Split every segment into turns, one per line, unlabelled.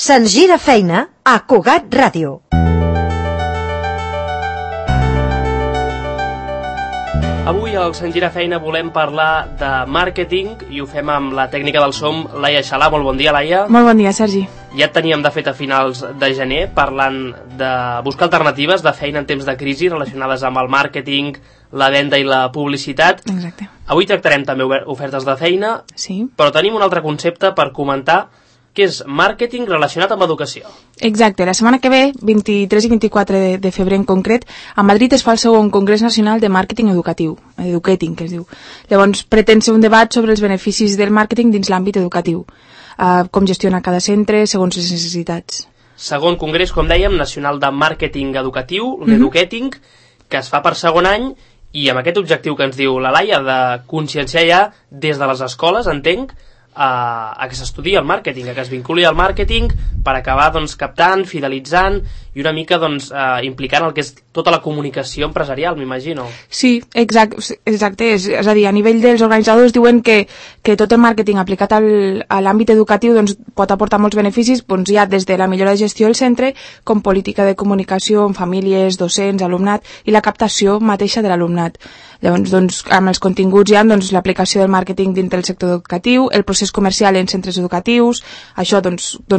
Se'ns gira feina a Cugat Ràdio.
Avui al Se'ns gira feina volem parlar de màrqueting i ho fem amb la tècnica del som, Laia Xalà. Molt bon dia, Laia.
Molt bon dia, Sergi.
Ja et teníem, de fet, a finals de gener parlant de buscar alternatives de feina en temps de crisi relacionades amb el màrqueting, la venda i la publicitat.
Exacte.
Avui tractarem també ofertes de feina,
sí.
Però tenim un altre concepte per comentar, que és màrqueting relacionat amb educació.
Exacte. La setmana que ve, 23 i 24 de febrer en concret, a Madrid es fa el segon Congrés Nacional de Màrqueting Educatiu, Educating, que es diu. Llavors, pretén ser un debat sobre els beneficis del màrqueting dins l'àmbit educatiu, com gestiona cada centre segons les necessitats.
Segon congrés, com dèiem, nacional de màrqueting educatiu, l'Educating, que es fa per segon any, i amb aquest objectiu que ens diu la Laia, de conscienciar ja des de les escoles, entenc, a que s'estudi el màrqueting, a que es vinculi al màrqueting per acabar captant, fidelitzant i una mica implicant el que és tota la comunicació empresarial, m'imagino.
Sí, exacte. És a dir, a nivell dels organitzadors diuen que tot el màrqueting aplicat a l'àmbit educatiu pot aportar molts beneficis, ja des de la millora de gestió del centre com política de comunicació amb famílies, docents, alumnat i la captació mateixa de l'alumnat. Llavors, amb els continguts hi ha l'aplicació del màrqueting dintre del sector educatiu, el procés comercial en centres educatius, això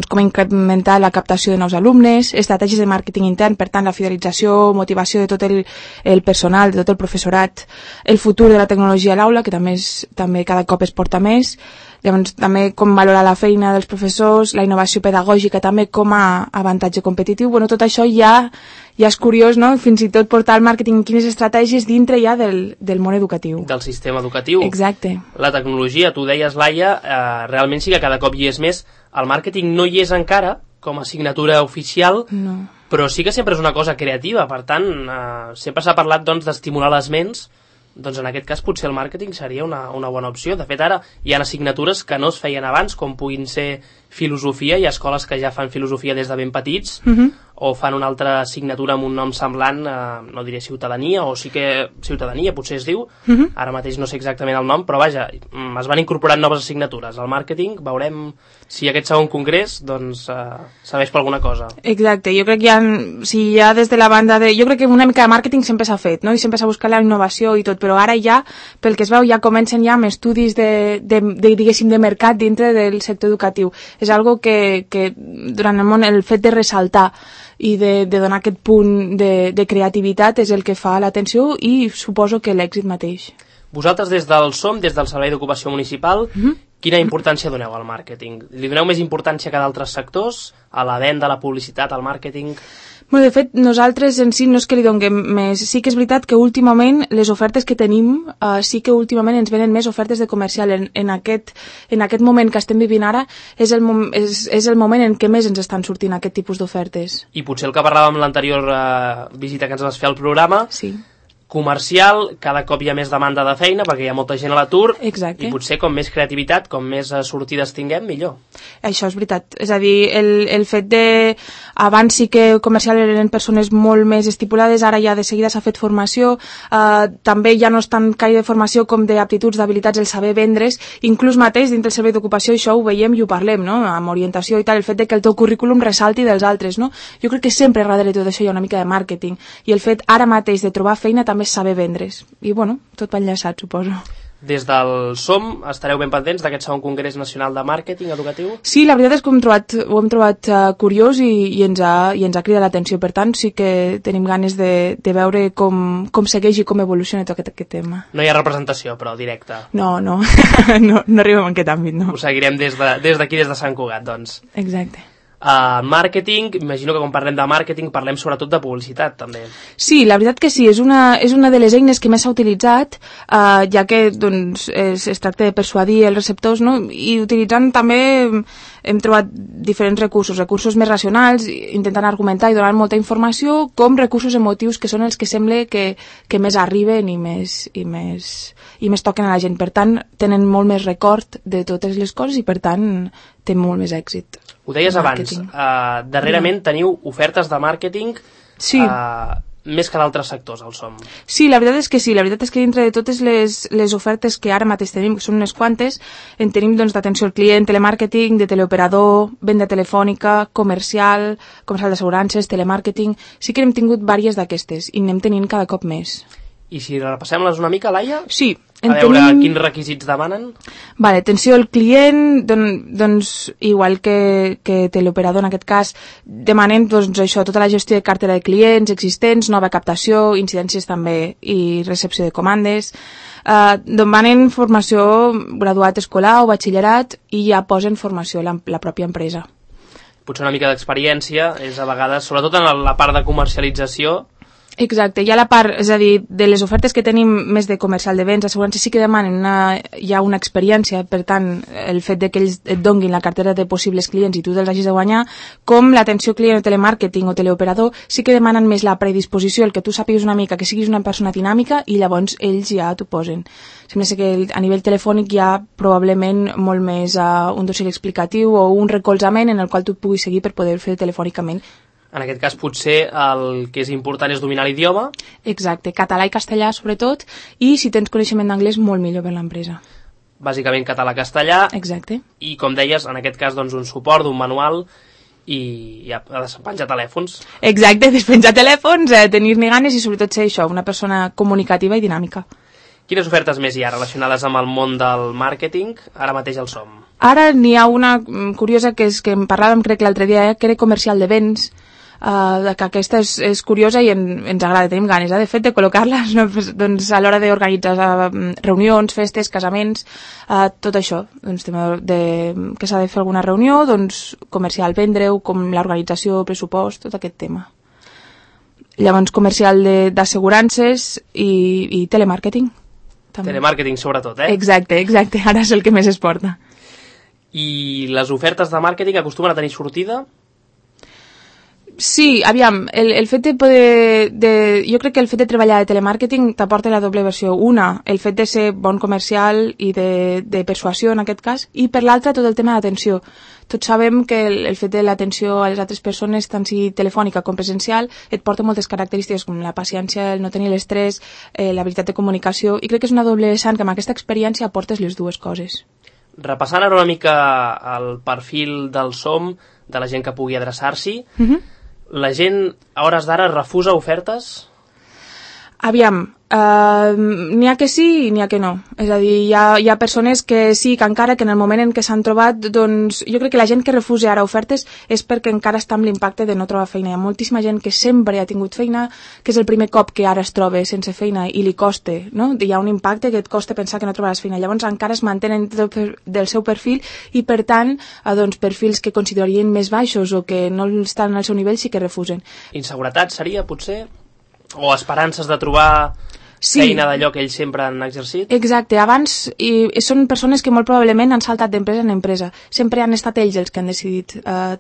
com incrementar la captació de nous alumnes, estratègies de màrqueting intern, per tant la fidelització, motivació de tot el personal, de tot el professorat, el futur de la tecnologia a l'aula, que també cada cop es porta més, llavors també com valorar la feina dels professors, la innovació pedagògica també com a avantatge competitiu. Tot això ja és curiós, no? Fins i tot portar el màrqueting, quines estratègies dintre ja del món educatiu.
Del sistema educatiu.
Exacte.
La tecnologia, tu deies, Laia, realment sí que cada cop hi és més. El màrqueting no hi és encara com a assignatura oficial,
no.
Però sí que sempre és una cosa creativa, per tant, sempre s'ha parlat d'estimular les ments. En aquest cas potser el màrqueting seria una bona opció. De fet, ara hi ha assignatures que no es feien abans, com puguin ser filosofia. Hi ha escoles que ja fan filosofia des de ben petits, o fan una altra assignatura amb un nom semblant, no diré ciutadania, o sí que ciutadania potser es diu, ara mateix no sé exactament el nom, però vaja, es van incorporant noves assignatures. El màrqueting, veurem si aquest segon congrés serveix per alguna cosa.
Exacte, jo crec que ja des de la banda jo crec que una mica de màrqueting sempre s'ha fet, no? I sempre s'ha buscat la innovació i tot, però ara ja, pel que es veu, ja comencen ja amb estudis diguéssim, de mercat dintre del sector educatiu. És algo que durant el món el fet de ressaltar i de donar aquest punt de creativitat és el que fa l'atenció i suposo que l'èxit mateix.
Vosaltres des del SOM, des del Servei d'Ocupació Municipal, quina importància doneu al màrqueting? Li doneu més importància que d'altres sectors? A la venda, a la publicitat, al màrqueting?
De fet, nosaltres en si no és que li donem més. Sí que és veritat que últimament les ofertes que tenim, sí que últimament ens venen més ofertes de comercial. En aquest moment que estem vivint ara és el moment en què més ens estan sortint aquest tipus d'ofertes.
I potser el que parlàvem en l'anterior visita que ens vas fer al programa,
sí.
Comercial, cada cop hi ha més demanda de feina perquè hi ha molta gent a l'atur.
Exacte.
I potser com més creativitat, com més sortides tinguem, millor.
Això és veritat. És a dir, el fet de... Abans sí que comercial eren persones molt més estipulades, ara ja de seguida s'ha fet formació, també ja no és tant caire de formació com d'aptituds, d'habilitats, el saber vendre's, inclús mateix dintre del servei d'ocupació, això ho veiem i ho parlem, no? Amb orientació i tal, el fet de que el teu currículum ressalti dels altres, no? Jo crec que sempre darrere de tot això hi ha una mica de màrqueting, i el fet ara mateix de trobar feina també és saber vendre's. I tot va enllaçat, suposo.
Des del SOM estareu ben pendents d'aquest segon Congrés Nacional de Màrqueting Educatiu?
Sí, la veritat és que ho hem trobat curiós i ens ha cridat l'atenció. Per tant, sí que tenim ganes de veure com segueix i com evoluciona tot aquest tema.
No hi ha representació, però directa.
No arribem en aquest àmbit, no.
Ho seguirem des d'aquí, des de Sant Cugat, doncs.
Exacte.
Màrqueting, imagino que quan parlem de màrqueting parlem sobretot de publicitat, també.
Sí, la veritat que sí, és una de les eines que més s'ha utilitzat, ja que es tracta de persuadir els receptors, no? I utilitzant també hem trobat diferents recursos més racionals, intentant argumentar i donar molta informació, com recursos emotius que són els que sembla que més arriben i més toquen a la gent. Per tant, tenen molt més record de totes les coses i per tant té molt més èxit.
Ho deies abans, darrerament teniu ofertes de màrqueting
sí.
més que d'altres sectors, el SOM.
Sí, la veritat és que sí. La veritat és que dintre de totes les ofertes que ara mateix tenim, que són unes quantes, en tenim doncs, d'atenció al client, telemàrqueting, de teleoperador, venda telefònica, comercial d'assegurances, telemàrqueting... Sí que hem tingut diverses d'aquestes i n'hem tenint cada cop més.
I si repassem-les una mica, Laia?
Sí.
A veure quins requisits demanen.
Vale, atenció al client, doncs igual que teleoperador en aquest cas, demanen doncs, això, tota la gestió de cartera de clients existents, nova captació, incidències també i recepció de comandes. Demanen formació graduat escolar o batxillerat i ja posen formació la pròpia empresa.
Potser una mica d'experiència és a vegades, sobretot en la part de comercialització.
Exacte, hi ha la part, és a dir, de les ofertes que tenim més de comercial de béns, assegurances sí que demanen ja una experiència, per tant, el fet de que ells et donguin la cartera de possibles clients i tu te'ls hagis de guanyar, com l'atenció client o telemàrqueting o teleoperador, sí que demanen més la predisposició, el que tu sàpigues una mica, que siguis una persona dinàmica i llavors ells ja t'ho posen. Sembla que a nivell telefònic hi ha probablement molt més un dossier explicatiu o un recolzament en el qual tu puguis seguir per poder fer telefònicament.
En aquest cas potser el que és important és dominar l'idioma.
Exacte, català i castellà sobretot, i si tens coneixement d'anglès molt millor per l'empresa.
Bàsicament català-castellà.
Exacte.
I com deies, en aquest cas doncs, un suport d'un manual i ha de penjar telèfons.
Exacte, despenjar telèfons, tenir-ne ganes i sobretot ser això, una persona comunicativa i dinàmica.
Quines ofertes més hi ha relacionades amb el món del màrqueting? Ara mateix el SOM.
Ara n'hi ha una curiosa que és que en parlàvem crec l'altre dia, que era comercial de béns, que aquesta és curiosa i ens agrada, tenim ganes de fet de col·locar-les, no? Doncs a l'hora d'organitzar reunions, festes, casaments, tot això, doncs, que s'ha de fer alguna reunió, doncs comercial, vendre-ho, com l'organització, pressupost, tot aquest tema. Llavors comercial d'assegurances i telemàrqueting. També.
Telemàrqueting sobretot,
Exacte, ara és el que més es porta.
I les ofertes de màrqueting acostumen a tenir sortida?
Sí, aviam, el fet de poder... jo crec que el fet de treballar de telemàrqueting t'aporta la doble versió. Una, el fet de ser bon comercial i de persuasió en aquest cas, i per l'altra tot el tema d'atenció. Tots sabem que el fet de l'atenció a les altres persones, tant sigui telefònica com presencial, et porta moltes característiques com la paciència, el no tenir l'estrès, l'habilitat de comunicació, i crec que és una doble vessant que amb aquesta experiència aportes les dues coses.
Repassant ara una mica el perfil del SOM, de la gent que pugui adreçar-s'hi, la gent a hores d'ara refusa ofertes?
Aviam, n'hi ha que sí i n'hi ha que no. És a dir, hi ha persones que sí, que encara que en el moment en què s'han trobat, doncs jo crec que la gent que refusa ara ofertes és perquè encara està amb l'impacte de no trobar feina. Hi ha moltíssima gent que sempre ha tingut feina, que és el primer cop que ara es troba sense feina i li costa, no? Hi ha un impacte que et costa pensar que no trobaràs feina. Llavors encara es mantenen del seu perfil i per tant, doncs, perfils que considerarien més baixos o que no estan al seu nivell sí que refusen.
Inseguretat seria, potser? O esperances de trobar feina d'allò que ells sempre han exercit?
Exacte, abans són persones que molt probablement han saltat d'empresa en empresa. Sempre han estat ells els que han decidit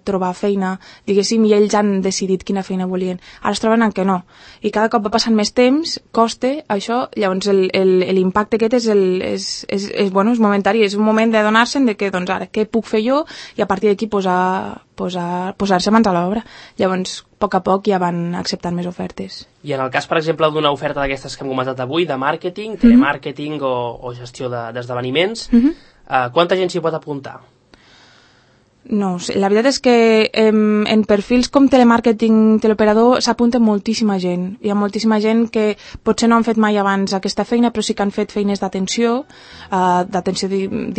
trobar feina, diguéssim, i ells han decidit quina feina volien. Ara es troben en què no. I cada cop va passant més temps, costa això, llavors l'impacte aquest és momentari, és un moment de donar-se'n de que, doncs ara, què puc fer jo? I a partir d'aquí posar-se mans a l'obra. Llavors, a poc a poc ja van acceptant més ofertes.
I en el cas, per exemple, d'una oferta d'aquestes que hem comentat avui, de màrqueting, telemàrqueting o gestió d'esdeveniments, quanta gent s'hi pot apuntar?
No, la veritat és que en perfils com telemàrqueting, teleoperador, s'apunta moltíssima gent. Hi ha moltíssima gent que potser no han fet mai abans aquesta feina, però sí que han fet feines d'atenció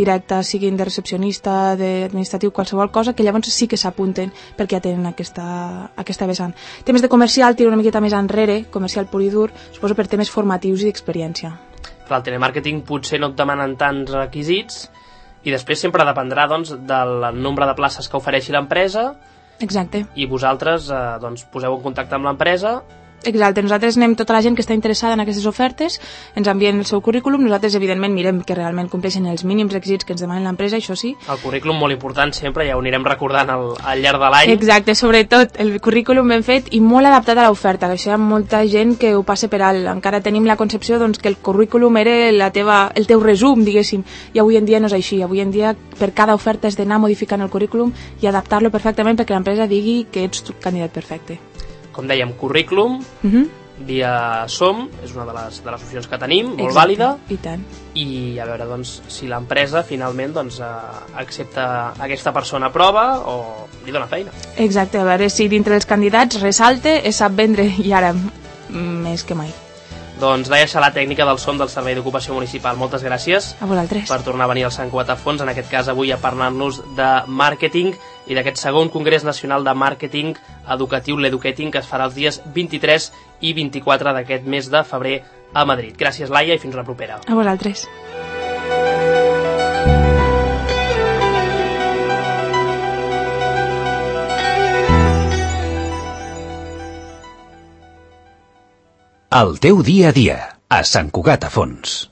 directa, siguin de recepcionista, d'administratiu, qualsevol cosa, que llavors sí que s'apunten perquè ja tenen aquesta vessant. Temes de comercial tira una miqueta més enrere, comercial pur i dur, suposo per temes formatius i d'experiència.
Per al telemàrqueting potser no et demanen tants requisits, i després sempre dependrà doncs, del nombre de places que ofereixi l'empresa.
Exacte.
I vosaltres doncs, poseu en contacte amb l'empresa.
Exacte, nosaltres anem tota la gent que està interessada en aquestes ofertes, ens envien el seu currículum, nosaltres evidentment mirem que realment compleixen els mínims requisits que ens demanen l'empresa, això sí.
El currículum molt important sempre, ja ho anirem recordant al llarg de l'any.
Exacte, sobretot el currículum ben fet i molt adaptat a l'oferta, que això hi ha molta gent que ho passa per alt. Encara tenim la concepció doncs, que el currículum era el teu resum, diguéssim, i avui en dia no és així. Avui en dia per cada oferta has d'anar modificant el currículum i adaptar-lo perfectament perquè l'empresa digui que ets tu candidat perfecte.
Com dèiem, currículum, via Som, és una de les opcions que tenim, molt
Exacte,
vàlida,
i tant.
i a veure doncs, si l'empresa finalment doncs, accepta aquesta persona a prova o li dona feina.
Exacte, a veure si dintre els candidats resalte, es sap vendre, i ara més que mai.
Doncs Laia Xalà, tècnica del Som del Servei d'Ocupació Municipal. Moltes gràcies
A vosaltres.
per tornar a venir al Sant Cugat a Fons, en aquest cas avui a parlar-nos de màrqueting i d'aquest segon Congrés Nacional de Màrqueting Educatiu, l'Educating, que es farà els dies 23 i 24 d'aquest mes de febrer a Madrid. Gràcies, Laia, i fins la propera.
A vosaltres.
El teu dia a dia, a Sant Cugat a Fons.